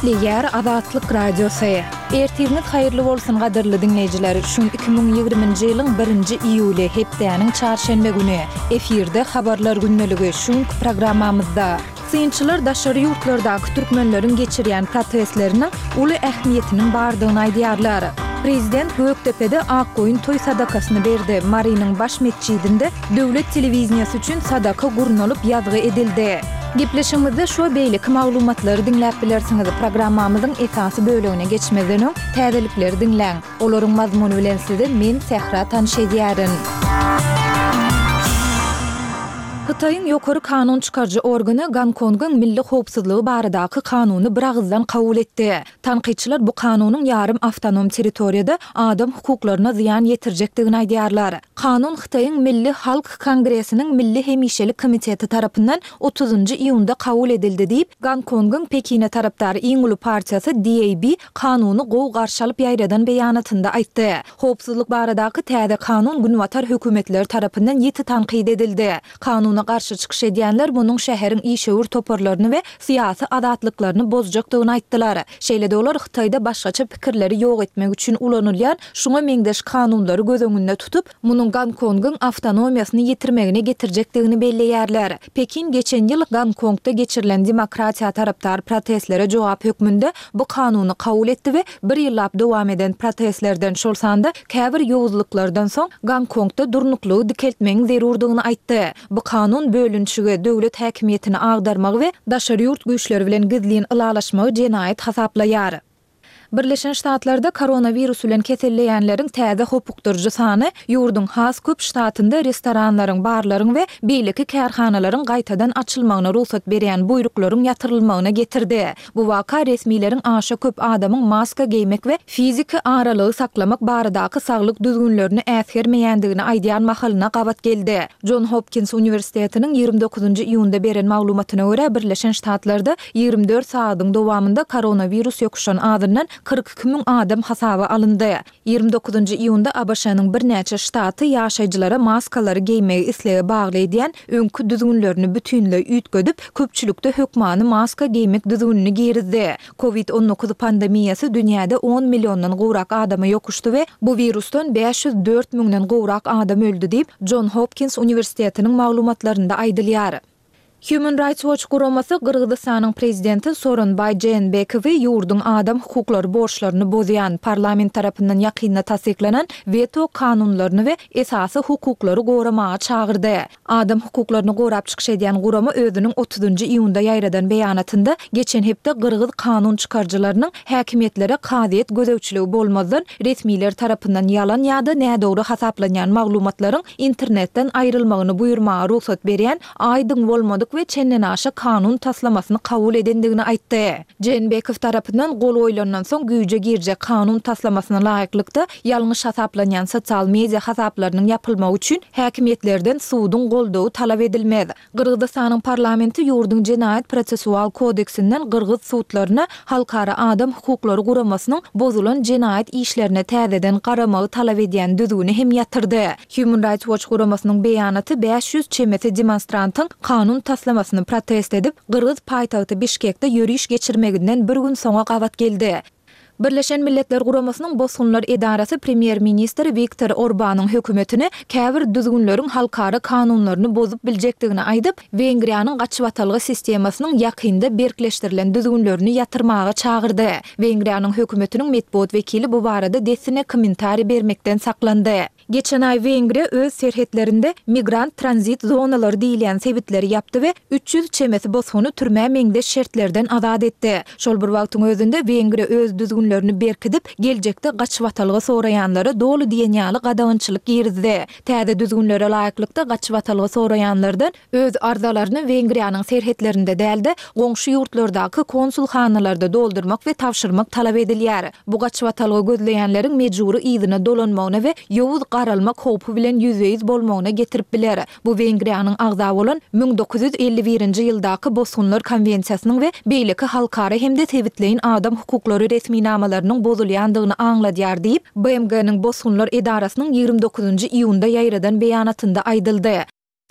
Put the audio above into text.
Gepleýär Azatlyk Radiosy. Ertiriňiz haýyrly bolsun gadyrly diňleýjiler! Şu gün 2020-nji ýylyň birinji iýuly, hepdäniň çarşenbe güni. Efirde Habarlar gündeligi, şu günki programmamyzda. Synçylar daşary ýurtlardaky türkmenleriň geçirýän protestleriniň uly ähmiýetiniň bardygyny aýdýarlar. Prezident Gökdepede Akgoýun toý sadakasyny berdi, Marynyň baş metjidinde döwlet telewideniýesi üçin sadaka gurnalyp ýazgy edildi. Gepleşigimizde şu we beýleki maglumatlary diňläp bilersiňiz. Programmamyzyň esasy bölegine geçmezden öň, täzelikleri diňläň. Olaryň mazmuny bilen sizi men, Sähra tanyş edýärin. Hytaýyň ýokary kanun çykaryjy organy Gonkongyň milli howpsuzlygy baradaky kanuny biragyzdan kabul etdi. Tankytçylar bu kanunyň ýarym awtonom territoriýada adam hukuklaryna zyýan ýetirjekdigini aýdýarlar. Kanun Hytaýyň Milli Halk Kongresiniň Milli hemişelik komiteti tarapyndan otuzynjy iýunda kabul edildi diýip, Gonkongyň Pekine tarapdar iň uly partiýasy DAB kanuny gowy garşy alyp ýaýradan beýanatynda aýtdy. Howpsuzlyk baradaky täze kanun günbatar hökümetleri tarapyndan ýiti tankyt edildi. Kanuna garşy çykyş edýänler munuň şäheriň işewür toparlaryny we syýasy azatlyklaryny bozjakdygyny aýtdylar. Şeýle-de olar Hytaýda başgaça pikirleri ýok etmek üçin ulanylýan şuňa meňzeş kanunlary göz öňünde tutup, munuň Gonkongyň awtonomiýasyny ýitirmegine getirjekdigini belleýärler. Pekin geçen ýyl Gonkongda geçirilen demokratiýa tarapdar protestlere jogap hökmünde bu kanuny kabul etdi we bir ýyllap dowam eden protestlerden, şol sanda käbir ýowuzlyklardan soň Gonkongda durnuklygy dikeltmegiň zerurdygyny aýtdy. Bu kanun bölünişigi, döwlet häkimiýetini agdarmagy we daşary ýurt güýçleri bilen gizlin ylalaşmagy jenaýat hasaplaýar. Birleşen Ştatlarda koronawirus bilen keselleýänleriň täze hopukdyryjy sany ýurduň has köp ştatynda restoranlaryň, barlaryň we beýleki kärhanalaryň gaýtadan açylmagyna rugsat berýän buýruklaryň ýatyrylmagyna getirdi. Bu waka resmileriň aşa köp adamyň maska geýmek we fiziki aralygy saklamak baradaky saglyk düzgünlerini äsgermeýändigini aýdýan mahalyna gabat geldi. Jon Hopkins uniwersitetiniň 29 iýunda beren maglumatyna görä, Birleşen Ştatlarda 24 sagadyň dowamynda koronawirus ýokuşan azyndan 42 müň adam hasaba alyndy. 29 iýunda ABŞ-nyň birnäçe ştaty ýaşaýjylara maskalary geýmegi islege bagly edýän öňki düzgünlerini bütinleý üýtgedip, köpçülikde hökmany maska geýmek düzgünini girizdi. Covid 19 pandemiýasy dünýäde on milliondan gowrak adama ýokuşdy we bu wirusdan 504 müňden gowrak adam öldi diýip, Jon Hopkins uniwersitetiniň maglumatlarynda aýdylýar. Human Rights Watch guramasy Gyrgyzystanyň prezidenti Sooronbaý Jeenbekowy ýurduň adam hukuklary borçlaryny bozýan, parlament tarapyndan ýakynda tassyklanan weto kanunlaryny we esasy hukuklary goramaga çagyrdy. Adam hukuklaryny gorap çykyş edýän gurama özüniň otuzynjy iýunda ýaýradan beýanatynda geçen hepde gyrgyz kanun çykaryjylarynyň häkimiýetlere kazyýet gözegçiligi bolmazdan resmiler tarapyndan ýalan ýa-da nädogry hasaplanýan maglumatlaryň internetden aýrylmagyny buýurmaga rugsat berýän aýdyň bolmadyk we çendenaşa kanun taslamasyny kabul edendigini aýtdy. Jeenbekow tarapyndan gol goýlandan soň güýje girjek kanun taslamasyna laýyklykda, ýalňyş hasaplanýan sosial media hasaplarynyň ýapylmagy üçin häkimiýetlerden suduň goldawy talap edilmez. Gyrgyzystanyň parlamenti ýurduň Jenaýat-prosessual kodeksinden gyrgyz sudlaryna Halkara adam hukuklary guramasynyň bozulan jenaýat işlerine täzeden garamagy talap edýän düzgüni hem ýatyrdy. Human Rights Watch guramasynyň beýanaty 500 çemesi demonstrantyň kanun taslamasyny protest edip, gyrgyz paýtagty Bişkekde ýöriş geçirmeginden bir gün soňa gabat geldi. Birleşen Milletler Guramasynyň Bosgunlar edarasy premýer-ministr Wiktor Orbanyň hökümetini käbir düzgünleriň halkara kanunlaryny bozup biljekdigini aýdyp, Wengriýanyň gaçybatalga sistemasynyň ýakynda berkleşdirilen düzgünlerini ýatyrmaga çagyrdy. Wengriýanyň hökümetiniň metbugat wekili bu barada dessine kommentariý bermekden saklandy. Geçen aý Wengriýa öz serhetlerinde migrant tranzit zonalary diýilýän sebitleri ýapdy we 300 çemesi bosguny türmä meňzeş şertlerden azat etdi. Şol bir wagtyň özünde Wengriýa öz düzgünlerini berkidip, geljekde gaçybatalga soraýanlara doly diýen ýaly gadagançylyk girizdi. Täze düzgünlere laýyklykda gaçybatalga soraýanlardan öz arzalaryny Wengriýanyň serhetlerinde däl-de, goňşy ýurtlardaky konsulhanalarda doldurmak we tabşyrmak talap edilýär. Bu gaçybatalga gözleýänleriň mejbury yzyna dolanmagyna we ýowuz garalmak howpy bilen ýüzbe-ýüz bolmagyna getirip biler. Bu Wengriýanyň agza bolan 1951-nji ýyldaky Bosgunlar konwensiýasynyň we beýleki halkara hem-de sebitleýin adam hukuklary resminamalarynyň bozulýandygyny aňladýar diýip, BMG-niň Bosgunlar edarasynyň 29 nji iýunda ýaýradan beýanatynda aýdyldy.